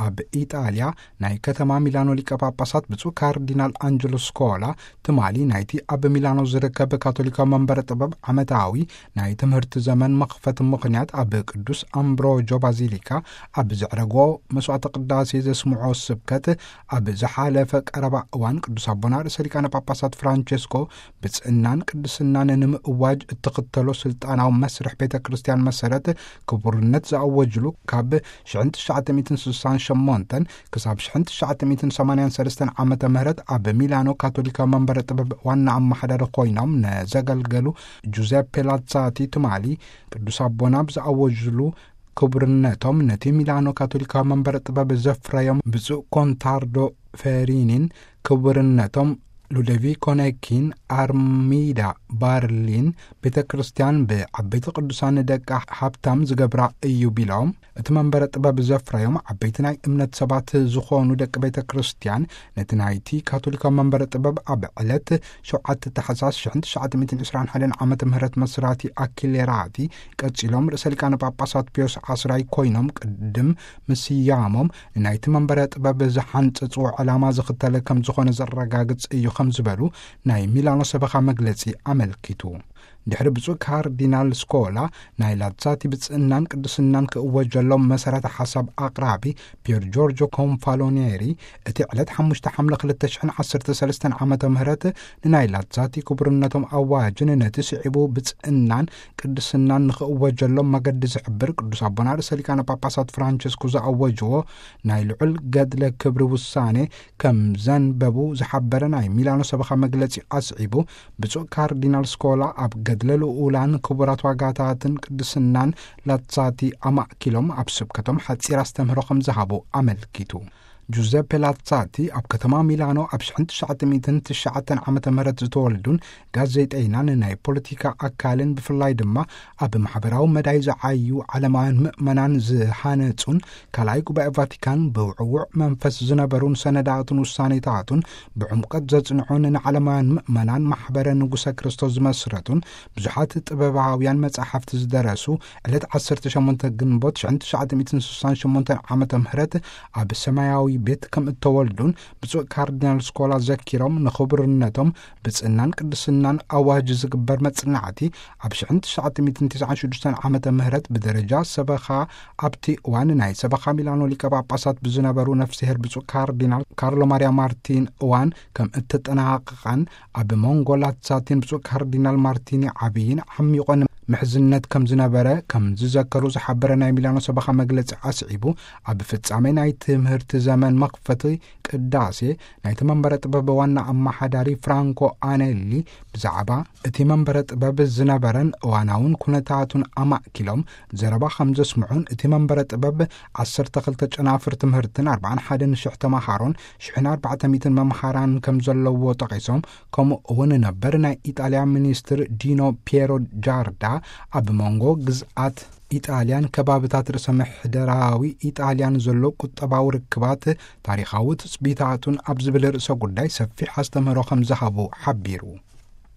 ኣብ ኢጣልያ ናይ ከተማ ሚላኖ ሊቀ ጳጳሳት ብፁዕ ካርዲናል ኣንጀሎ ስኮላ፣ ትማሊ ናይቲ ኣብ ሚላኖ ዝርከብ ካቶሊካዊ መንበረ ጥበብ ዓመታዊ ናይ ትምህርቲ ዘመን መኽፈት ምኽንያት፣ ኣብ ቅዱስ ኣምብሮጆ ባዚሊካ ኣብ ዘዕረጎ መስዋዕተ ቅዳሴ ዘስምዖ ስብከት፣ ኣብ ዝሓለፈ ቀረባ እዋን ቅዱስ ኣቦና ርእሰ ሊቃነ ጳጳሳት ፍራንቸስኮ ብጽእናን ቅድስናን ንምእዋጅ እትኽተሎ ስልጣናዊ መስርሕ ቤተ ክርስቲያን መሰረት ክቡርነት ዝኣወጅሉ፣ ካብ ሽሕን ትሽዓተ ሚእትን ስሳን ሸሞንተን ክሳብ ሽሕን ትሽዓተ ሚእትን ሰማንያን ሰለስተን ዓመተ ምህረት ኣብ ሚላኖ ካቶሊካዊ መንበረ ጥበብ ዋና ኣመሓዳሪ ኮይኖም ንዘገልገሉ ጁዘፔ ላትሳቲ፣ ትማሊ ቅዱስ ኣቦና ብዝኣወጅሉ ክቡርነቶም፣ ነቲ ሚላኖ ካቶሊካዊ መንበረ ጥበብ ዘፍረዮም ብፁዕ ኮንታርዶ ፌሪኒን፣ ክቡርነቶም ሉደቪኮ ነኪን፣ ኣርሚዳ ባርሊን፣ ቤተ ክርስቲያን ብዓበይቲ ቅዱሳን ደቃ ሃብታም ዝገብራ እዩ ቢሎም፣ እቲ መንበረ ጥበብ ዘፍረዮም ዓበይቲ ናይ እምነት ሰባት ዝኾኑ ደቂ ቤተ ክርስቲያን፣ ነቲ ናይቲ ካቶሊካዊ መንበረ ጥበብ ኣብ ዕለት ሸውዓተ ታሕሳስ ሽሕን ትሽዓተ ሚእትን ዕስራን ሓደን ዓመተ ምህረት መስራቲ ኣኪሌራቲ፣ ቀጺሎም ርእሰ ሊቃነ ጳጳሳት ፒዮስ ዓስራይ ኮይኖም፣ ቅድም ምስያሞም ንናይቲ መንበረ ጥበብ ዝሓንጸጽዎ ዕላማ ዝኽተለ ከም ዝኾነ ዘረጋግጽ እዩ ከም ዝበሉ ናይ ሚላኖ ሰበኻ መግለጺ ኣመልኪቱ። ድሕሪ ብፁዕ ካርዲናል ስኮላ ናይ ላትሳቲ ብጽእናን ቅድስናን ክእወጀሎም መሰረተ ሓሳብ ኣቕራቢ ፒየር ጆርጆ ኮንፋሎኔሪ፣ እቲ ዕለት ሓሙሽተ ሓምለ ክልተ ሽሕን ዓሰርተ ሰለስተን ዓመተ ምህረት ንናይ ላትሳቲ ክቡርነቶም ኣዋጅን ነቲ ስዒቡ ብጽእናን ቅድስናን ንኽእወጀሎም መገዲ ዝሕብር ቅዱስ ኣቦና ርእሰ ሊቃነ ጳጳሳት ፍራንቸስኮ ዝኣወጅዎ ናይ ልዑል ገድለ ክብሪ ውሳኔ ከም ዘንበቡ ዝሓበረ ናይ ሚላኖ ሰበኻ መግለጺ ኣስዒቡ፣ ብፁዕ ካርዲናል ስኮላ ኣብ ገድለ ልኡላን ክቡራት ዋጋታትን ቅድስናን ላትሳቲ ኣማእኪሎም ኣብ ስብከቶም ሓጺር ኣስተምህሮ ከም ዝሃቡ ኣመልኪቱ። ጁዘፔ ላትሳቲ ኣብ ከተማ ሚላኖ ኣብ ሽሕን ትሽዓተ ሚእትን ትሽዓተን ዓመተ ምህረት ዝተወልዱን ጋዜጠይናን ናይ ፖለቲካ ኣካልን፣ ብፍላይ ድማ ኣብ ማሕበራዊ መዳይ ዝዓዩ ዓለማውያን ምእመናን ዝሃነጹን፣ ካልኣይ ጉባኤ ቫቲካን ብውዕዉዕ መንፈስ ዝነበሩን ሰነዳቱን ውሳኔታቱን ብዕምቀት ዘጽንዑን ንዓለማውያን ምእመናን ማሕበረ ንጉሰ ክርስቶስ ዝመስረቱን ብዙሓት ጥበባውያን መጻሕፍቲ ዝደረሱ፣ ዕለት ዓሰርተ ሸሞንተ ግንቦት ሽሕን ትሽዓተ ሚእትን ስሳን ሸሞንተን ዓመተ ምህረት ኣብ ሰማያዊ ቤት ከም እተወልዱን ብፁዕ ካርዲናል ስኮላ ዘኪሮም፣ ንኽቡርነቶም ብጽእናን ቅድስናን ኣዋጅ ዝግበር መጽናዕቲ ኣብ ሽሕን ትሽዓተ ሚእትን ትስዓን ሽዱሽተን ዓመተ ምህረት ብደረጃ ሰበኻ፣ ኣብቲ እዋን ናይ ሰበኻ ሚላኖ ሊቀ ጳጳሳት ብዝነበሩ ነፍስሄር ብፁዕ ካርዲናል ካርሎ ማርያ ማርቲን እዋን ከም እተጠናቐቐን፣ ኣብ መንጎ ላትሳቲን ብፁዕ ካርዲናል ማርቲኒ ዓብይን ዓሚቆን ምሕዝነት ከም ዝነበረ ከም ዝዘከሩ ዝሓበረ ናይ ሚላኖ ሰበኻ መግለጺ ኣስዒቡ፣ ኣብ ፍጻሜ ናይ ትምህርቲ ዘመን መኽፈቲ ቅዳሴ ናይቲ መንበረ ጥበብ ዋና ኣመሓዳሪ ፍራንኮ ኣኔሊ ብዛዕባ እቲ መንበረ ጥበብ ዝነበረን እዋናውን ኩነታቱን ኣማእኪሎም ዘረባ ከም ዘስምዑን፣ እቲ መንበረ ጥበብ ዓሰርተ ክልተ ጨናፍር ትምህርትን ኣርባዓን ሓደን ሽሕ ተማሃሮን ሽሕን ኣርባዕተ ሚእትን መምሃራን ከም ዘለዎ ጠቒሶም፣ ከምኡ እውን ነበር ናይ ኢጣልያ ሚኒስትር ዲኖ ፒየሮ ጃርዳ ኣብ መንጎ ግዝኣት ኢጣልያን ከባብታት ርእሰ ምሕደራዊ ኢጣልያን ዘሎ ቁጠባዊ ርክባት፣ ታሪኻዊ ትጽቢታቱን ኣብ ዝብል ርእሰ ጉዳይ ሰፊሕ ኣስተምህሮ ከም ዝሃቡ ሓቢሩ።